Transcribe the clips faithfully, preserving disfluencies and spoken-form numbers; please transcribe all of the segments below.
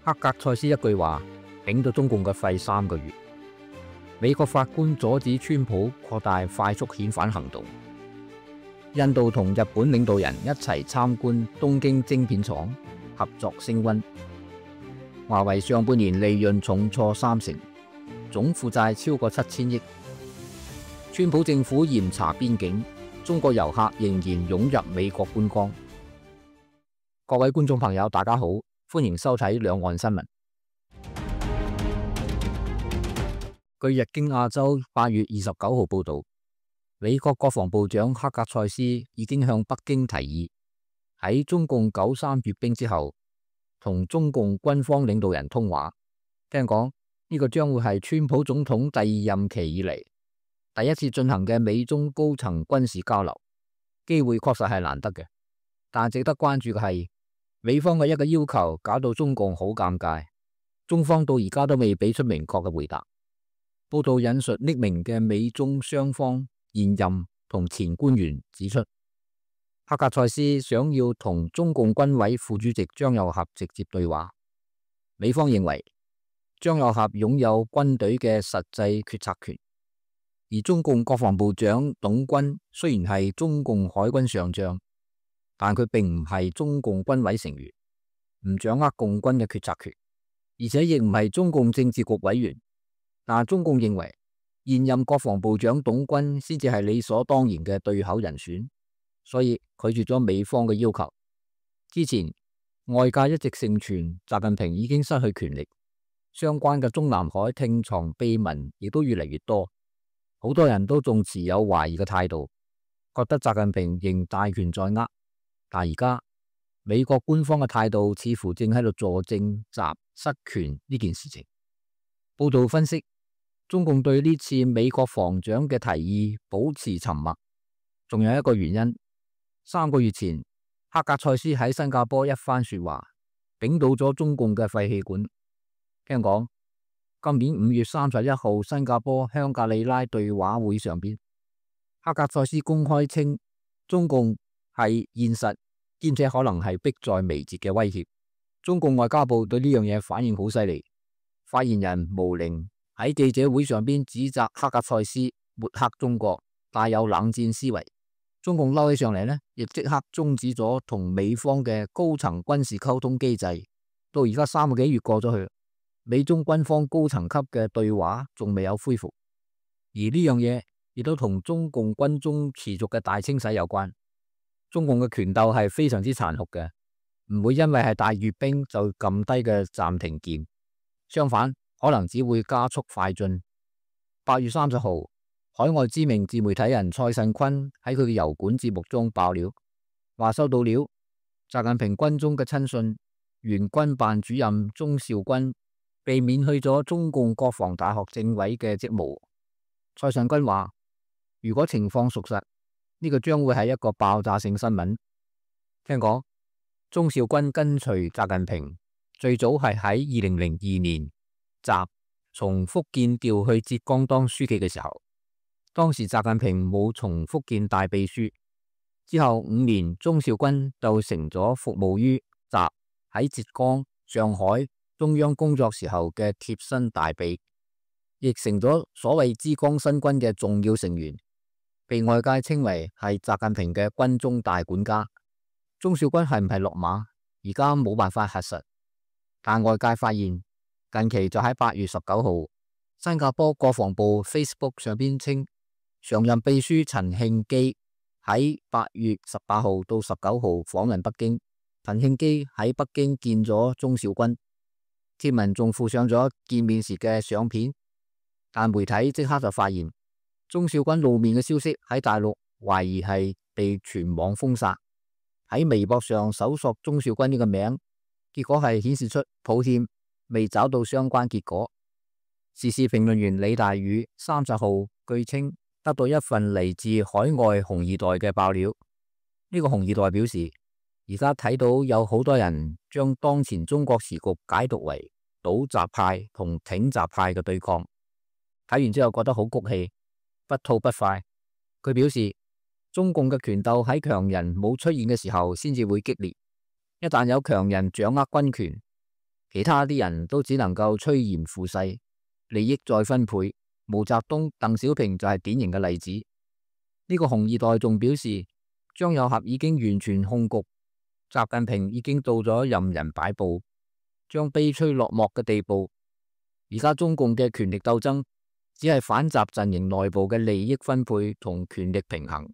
克格塞斯一句話頂到中共嘅肺三個月。美國法官阻止川普擴大快速遣返行動。印度同日本領導人一齊參觀東京晶片廠，合作升溫。華為上半年利潤重挫三成，總負債超過七千億。川普政府嚴查邊境，中國遊客仍然湧入美國觀光。各位觀眾朋友，大家好，歡迎收睇兩岸新聞。據日經亞洲八月二十九號報道，美國國防部長克格塞斯已經向北京提議，喺中共九三閱兵之後，同中共軍方領導人通話。聽講呢個將會係川普總統第二任期以嚟第一次進行嘅美中高層軍事交流，機會確實係難得嘅。但值得關注嘅係，美方嘅一個要求搞到中共好尷尬，中方到而家都未俾出明確嘅回答。報道引述匿名嘅美中雙方現任同前官員指出，克格塞斯想要同中共軍委副主席張又俠直接對話。美方認為張又俠擁有軍隊嘅實際決策權，而中共國防部長董軍雖然係中共海軍上將，但佢並唔係中共軍委成員，唔掌握共軍嘅決策權，而且亦唔係中共政治局委員。但中共認為現任國防部長董軍先至係理所當然嘅對口人選，所以拒絕咗美方嘅要求。之前外界一直盛傳習近平已經失去權力，相關嘅中南海聽床秘聞亦都越嚟越多，好多人都仲持有懷疑嘅態度，覺得習近平仍大權在握。但而家美國官方嘅態度似乎正喺度佐證習失權呢件事情。報道分析，中共對呢次美國防長嘅提議保持沉默，仲有一個原因。三個月前，克格塞斯喺新加坡一番說話，頂倒咗中共嘅廢氣管。聽講，今年五月三十一號新加坡香格里拉對話會上邊，克格塞斯公開稱中共係現實，兼且可能係迫在眉睫嘅威脅。中共外交部對呢樣嘢反應好犀利，發言人毛寧喺記者會上邊指責克格塞斯抹黑中國，帶有冷戰思維。中共嬲起上嚟呢，亦即刻終止咗同美方嘅高層軍事溝通機制。到而家三個幾月過咗去，美中軍方高層級嘅對話仲未有恢復。而呢樣嘢亦都同中共軍中持續嘅大清洗有關。中共嘅權鬥係非常之殘酷嘅，唔會因為係大閱兵就撳低嘅暫停鍵。相反，可能只會加速快進。八月三十號，海外知名自媒體人蔡慎坤喺佢嘅油管節目中爆料，話收到料，習近平軍中嘅親信原軍辦主任鍾兆軍被免去咗中共國防大學政委嘅職務。蔡慎坤話，如果情況屬實，呢個將會係一個爆炸性新聞。聽講，鍾兆軍跟隨習近平最早係喺二零零二年習從福建調去浙江當書記嘅時候，當時習近平冇從福建帶秘書，之後五年鍾兆軍就成咗服務於習喺浙江、上海中央工作時候嘅貼身大秘，亦成咗所謂之江新軍嘅重要成員，被外界稱為係習近平嘅軍中大管家。鍾兆軍係唔係落馬，而家冇辦法核實，但外界發現近期就喺八月十九號，新加坡國防部 Facebook 上邊稱，常任秘書陳慶基喺八月十八號到十九號訪問北京，陳慶基喺北京見咗鍾兆軍，貼文仲附上咗見面時嘅相片，但媒體即刻就發現鍾兆軍露面嘅消息喺大陸懷疑係被全網封殺。喺微博上搜索鍾兆軍呢個名，結果係顯示出抱歉，未找到相關結果。時事評論員李大宇三十號據稱得到一份嚟自海外紅二代嘅爆料。呢、這個紅二代表示，而家睇到有好多人將當前中國時局解讀為倒習派同挺習派嘅對抗。睇完之後覺得好谷氣，不吐不快。佢表示，中共嘅權鬥喺強人冇出現嘅時候先至會激烈，一旦有強人掌握軍權，其他啲人都只能夠趨炎附勢，利益再分配。毛澤東、鄧小平就係典型嘅例子。呢個紅二代仲表示，張又俠已經完全控局，習近平已經到咗任人擺布，將悲催落幕嘅地步。而家中共嘅權力鬥爭只係反習陣營內部嘅利益分配同權力平衡。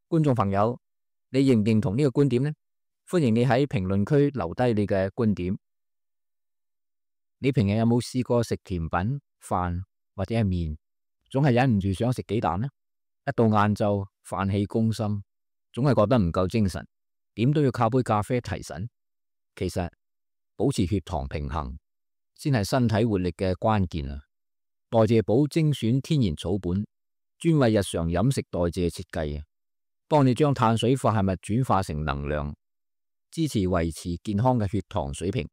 觀眾朋友，你認唔認同呢個觀點呢？歡迎你喺評論區留低你嘅觀點。你平日有冇試過食甜品、飯或者係麵，總係忍唔住想食幾啖呢？一到晏晝，飯氣攻心，總係覺得唔夠精神，點都要靠杯咖啡提神。其實保持血糖平衡先係身體活力嘅關鍵啊！代謝寶精選天然草本，專為日常飲食代謝設計啊，幫你將碳水化合物轉化成能量，支持維持健康嘅血糖水平，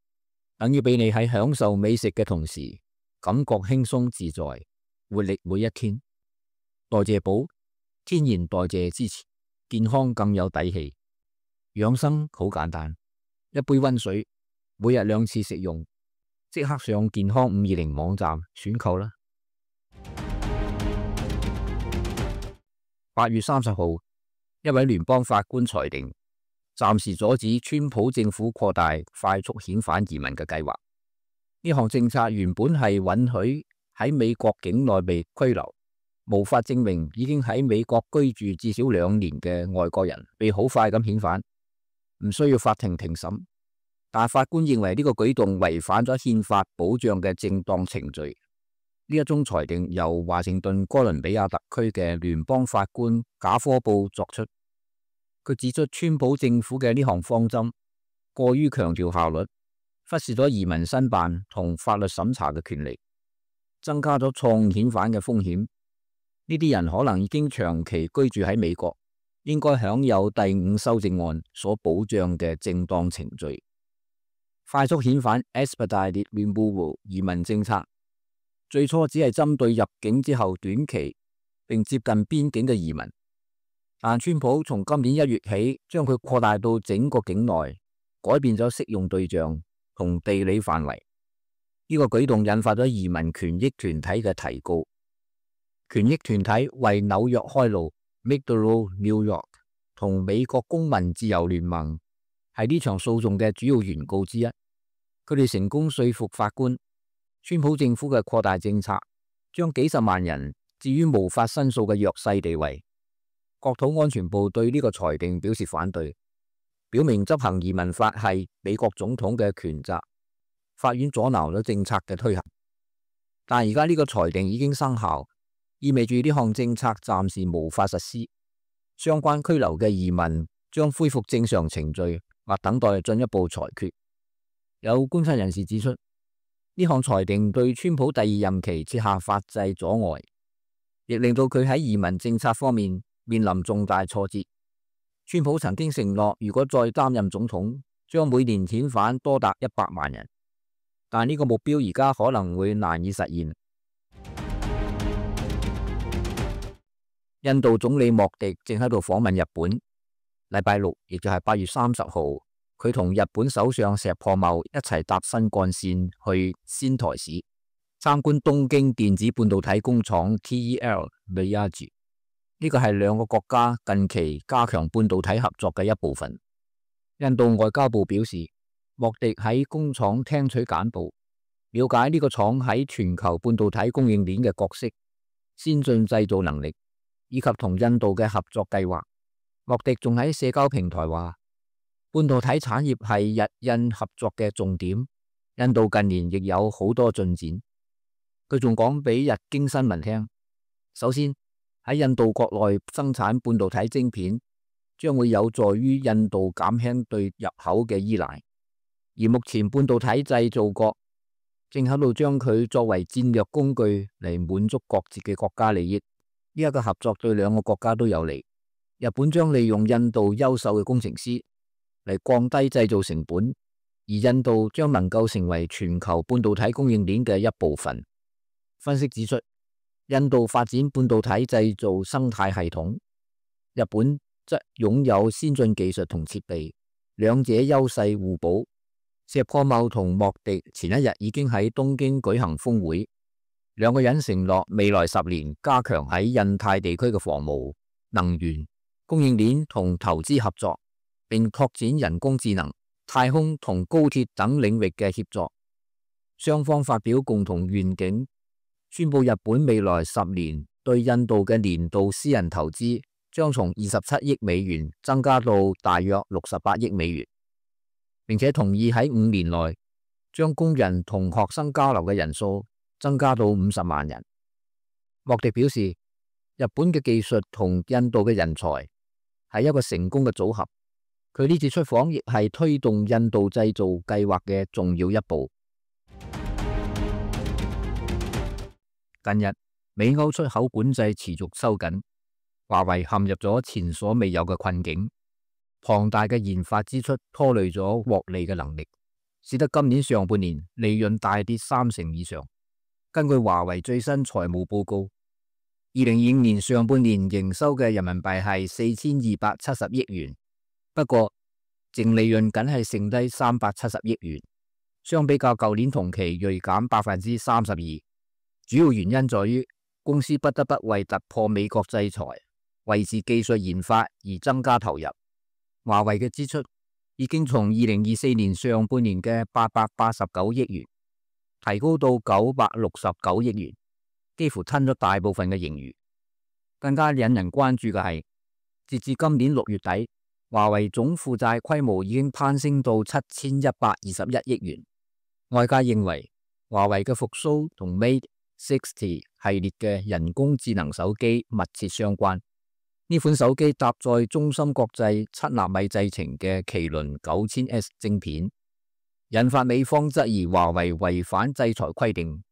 等於俾你喺享受美食嘅同時，感覺輕鬆自在，活力每一天。代謝寶，天然代謝支持，健康更有底氣。養生好簡單，一杯溫水，每日兩次食用，即刻上健康五二零網站選購啦。八月三十號，一位聯邦法官裁定，暫時阻止川普政府擴大快速遣返移民嘅計劃。呢項政策原本係允許喺美國境內被拘留，無法證明已經喺美國居住至少兩年嘅外國人被好快咁遣返，唔需要法庭庭審。但法官認為呢個舉動違反咗憲法保障嘅正當程序。呢一宗裁定由華盛頓哥倫比亞特區嘅聯邦法官賈科布作出。佢指出，川普政府嘅呢項方針過於強調效率，忽視咗移民申辦同法律審查嘅權利，增加咗錯誤遣返嘅風險。呢啲人可能已經長期居住喺美國，應該享有第五修正案所保障嘅正當程序。快速遣返 （Expedited Removal） 移民政策最初只係針對入境之後短期並接近邊境嘅移民，但川普從今年一月起將佢擴大到整個境內，改變咗適用對象同地理範圍。呢個舉動引發咗移民權益團體嘅提告。權益團體為紐約開路 （Make the Road New York） 同美國公民自由聯盟係呢場訴訟嘅主要原告之一。佢哋成功說服法官，川普政府嘅擴大政策將幾十萬人置於無法申訴嘅弱勢地位。國土安全部對呢個裁定表示反對，表明執行移民法係美國總統嘅權責，法院阻撓咗政策嘅推行。但而家呢個裁定已經生效，意味住呢項政策暫時無法實施，相關拘留嘅移民將恢復正常程序或等待進一步裁決。有觀察人士指出，呢項裁定對川普第二任期設下法制阻礙，亦令到佢喺移民政策方面面臨重大挫折。川普曾經承諾，如果再擔任總統，將每年遣返多達一百萬人，但呢個目標而家可能會難以實現。印度總理莫迪正喺度訪問日本，禮拜六亦就係八月三十號。佢同日本首相石破茂一齊搭新幹線去仙台市參觀東京電子半導體工廠 T E L Miyagi。呢個係兩個國家近期加強半導體合作嘅一部分。印度外交部表示，莫迪喺工廠聽取簡報，了解呢個廠喺全球半導體供應鏈嘅角色、先進製造能力以及同印度嘅合作計劃。莫迪仲喺社交平台話，半導體產業係日印合作嘅重點，印度近年亦有好多進展。佢仲講俾日經新聞聽，首先喺印度國內生產半導體晶片，將會有助於印度減輕對入口嘅依賴。而目前半導體製造國正喺度將佢作為戰略工具嚟滿足各自嘅國家利益。呢一個合作對兩個國家都有利。日本將利用印度優秀嘅工程師嚟降低製造成本，而印度將能夠成為全球半導體供應鏈嘅一部分。分析指出，印度發展半導體製造生態系統，日本則擁有先進技術同設備，兩者優勢互補，石破茂同莫迪前一日已經喺東京舉行峰會，兩個人承諾未來十年加強喺印太地區嘅防務、能源、供應鏈同投資合作，並拓展人工智能、太空同高鐵等領域嘅協作。雙方發表共同願景，宣布日本未來十年對印度嘅年度私人投資將從二十七億美元增加到大約六十八億美元，並且同意喺五年內將工人同學生交流嘅人數增加到五十萬人。莫迪表示，日本嘅技術同印度嘅人才係一個成功嘅組合。佢呢次出訪亦係推動印度製造計劃嘅重要一步。近日，美歐出口管制持續收緊，華為陷入咗前所未有嘅困境。龐大嘅研發支出拖累咗獲利嘅能力，使得今年上半年利潤大跌三成以上。根據華為最新財務報告，二零二五年上半年營收嘅人民幣係四千二百七十億元，不過淨利潤僅係剩低三百七十億元，相比較舊年同期銳減百分之三十二。主要原因在於公司不得不為突破美國制裁、維持技術研發而增加投入。華為嘅支出已經從二零二四年上半年嘅八百八十九億元提高到九百六十九億元，幾乎吞咗大部分嘅盈餘。更加引人關注嘅係，截至今年六月底，華為總負債規模已經攀升到七千一百二十一億元。外界認為華為嘅復甦同 Mate 六十系列嘅人工智能手機密切相關。呢款手機搭載中芯國際七納米製程嘅麒麟九千 S 晶片，引發美方質疑華為違反制裁規定，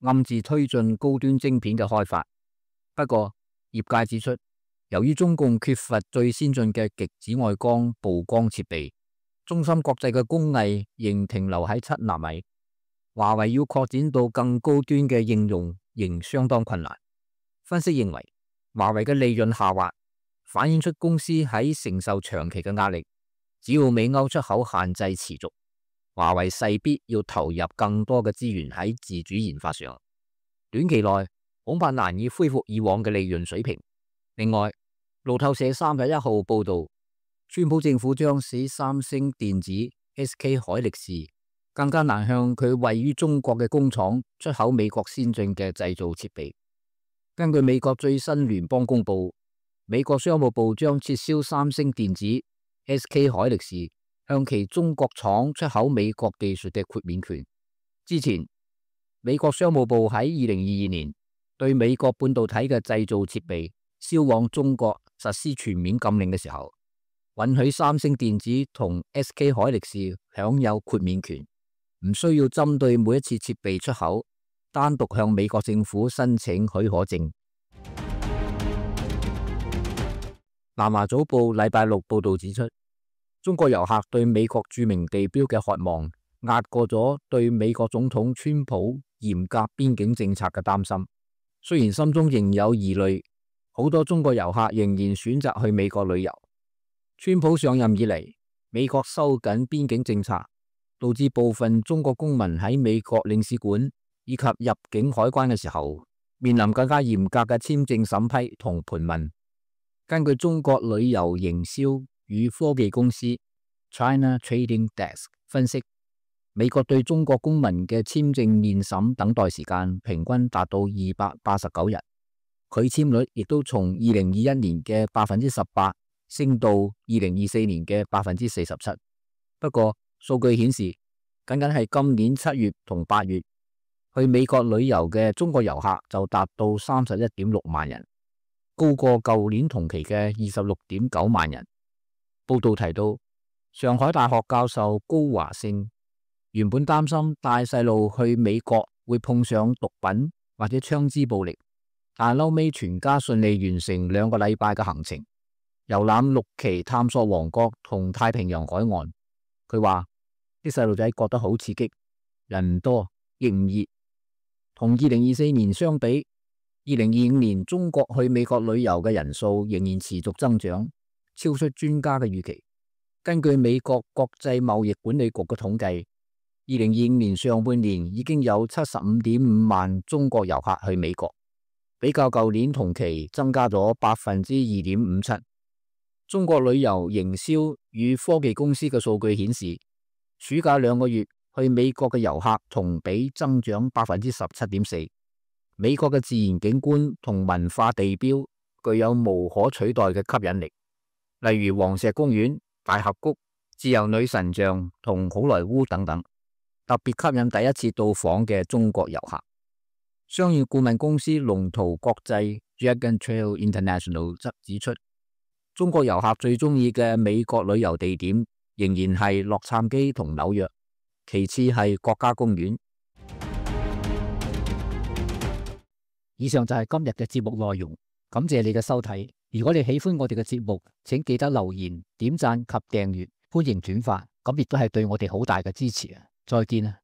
暗自推進高端晶片嘅開發。不過，業界指出，由於中共缺乏最先進嘅極紫外光曝光設備，中芯國際嘅工藝仍停留喺七納米。華為要擴展到更高端嘅應用仍相當困難。分析認為，華為嘅利潤下滑反映出公司喺承受長期嘅壓力。只要美歐出口限制持續，華為勢必要投入更多嘅資源喺自主研發上，短期內恐怕難以恢復以往嘅利潤水平。另外，路透社三十一號報道，川普政府將使三星電子 S K 海力士更加難向佢位於中國嘅工廠出口美國先進嘅製造設備。根據美國最新聯邦公佈，美國商務部將撤銷三星電子 S K 海力士向其中國廠出口美國技術嘅豁免權。之前，美國商務部喺二零二二年對美國半導體嘅製造設備銷往中國實施全面禁令嘅時候，允許三星電子同 S K 海力士享有豁免權，唔需要針對每一次設備出口單獨向美國政府申請許可證。南華早報禮拜六報道指出，中國遊客對美國著名地標嘅渴望壓過咗對美國總統川普嚴格邊境政策嘅擔心。雖然心中仍有疑慮，好多中國遊客仍然選擇去美國旅遊。川普上任以嚟，美國收緊邊境政策，導致部分中國公民喺美國領事館以及入境海關嘅時候，面臨更加嚴格嘅簽證審批同盤問。根據中國旅遊營銷與科技公司 China Trading Desk 分析，美國對中國公民嘅簽證面審等待時間平均達到二百八十九日，拒簽率亦都從二零二一年嘅百分之十八升到二零二四年嘅百分之四十七。不過，數據顯示，僅僅係今年七月同八月去美國旅遊嘅中國遊客就達到三十一點六萬人，高過舊年同期嘅二十六點九萬人。報道提到，上海大學教授高華勝原本擔心帶細路去美國會碰上毒品或者槍支暴力，但係後尾全家順利完成兩個禮拜嘅行程，遊覽六期探索王國同太平洋海岸。佢話啲細路仔覺得好刺激，人唔多亦唔熱。同二零二四年相比，二零二五年中國去美國旅遊嘅人數仍然持續增長，超出專家嘅預期。根據美國國際貿易管理局嘅統計，二零二五年上半年已經有七十五點五萬中國遊客去美國，比較舊年同期增加咗百分之二點五七。中國旅遊營銷與科技公司嘅數據顯示，暑假兩個月去美國嘅遊客同比增長百分之十七點四。美國嘅自然景觀同文化地標具有無可取代嘅吸引力，例如黃石公園、大峽谷、自由女神像同好萊塢等等，特別吸引第一次到訪嘅中國遊客。商業顧問公司龍圖國際 Dragon Trail International 則指出，中國遊客最中意嘅美國旅遊地點仍然係洛杉磯同紐約，其次係國家公園。以上就係今日嘅節目內容，感謝你嘅收睇。如果你喜歡我哋嘅節目，請記得留言、點讚及訂閱，歡迎轉發，咁亦都係對我哋好大嘅支持啊！再見啊！